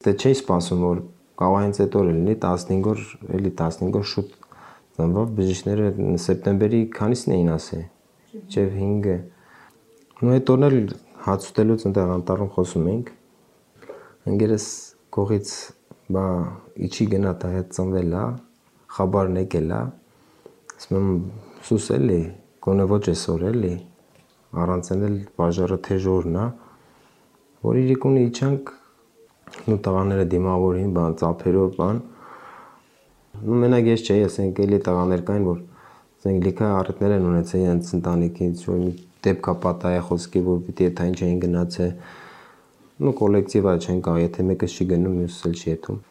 դե չէի սպասում, որ կարող հենց այդ օրը լինի 15 օր, էլի 15 օր շուտ ծնվով բժիշկները սեպտեմբերի քանիսն էին ասել, մինչև 5-ը։ Ու այդ օրն էլ հաց ուտելուց այնտեղ անտառում խոսում էինք։ Ընկերս կողից բա իջի գնա տա հետ ծնվել է, խաբարն եկել է, ասում եմ սուս էլի, գոնե ոչ այսօր էլի, առանց էլ բաժարը թեժ օրն է, որ իրիկունը իջանք, ու տղաները դիմավորին, բան ծափերով, բան, ու մենակ ես չէի, ասենք էլի տղաներ կային, որ ասենք լիքը առիթներ են ունեցել իրենց ընտանիքից, որ մի դեպք է պատահել խոսքի, որ պիտի եթային չէին գնացել, ու կոլեկտիվա չեն կարող, եթե մեկը չի գնում, մյուսը չի եթում։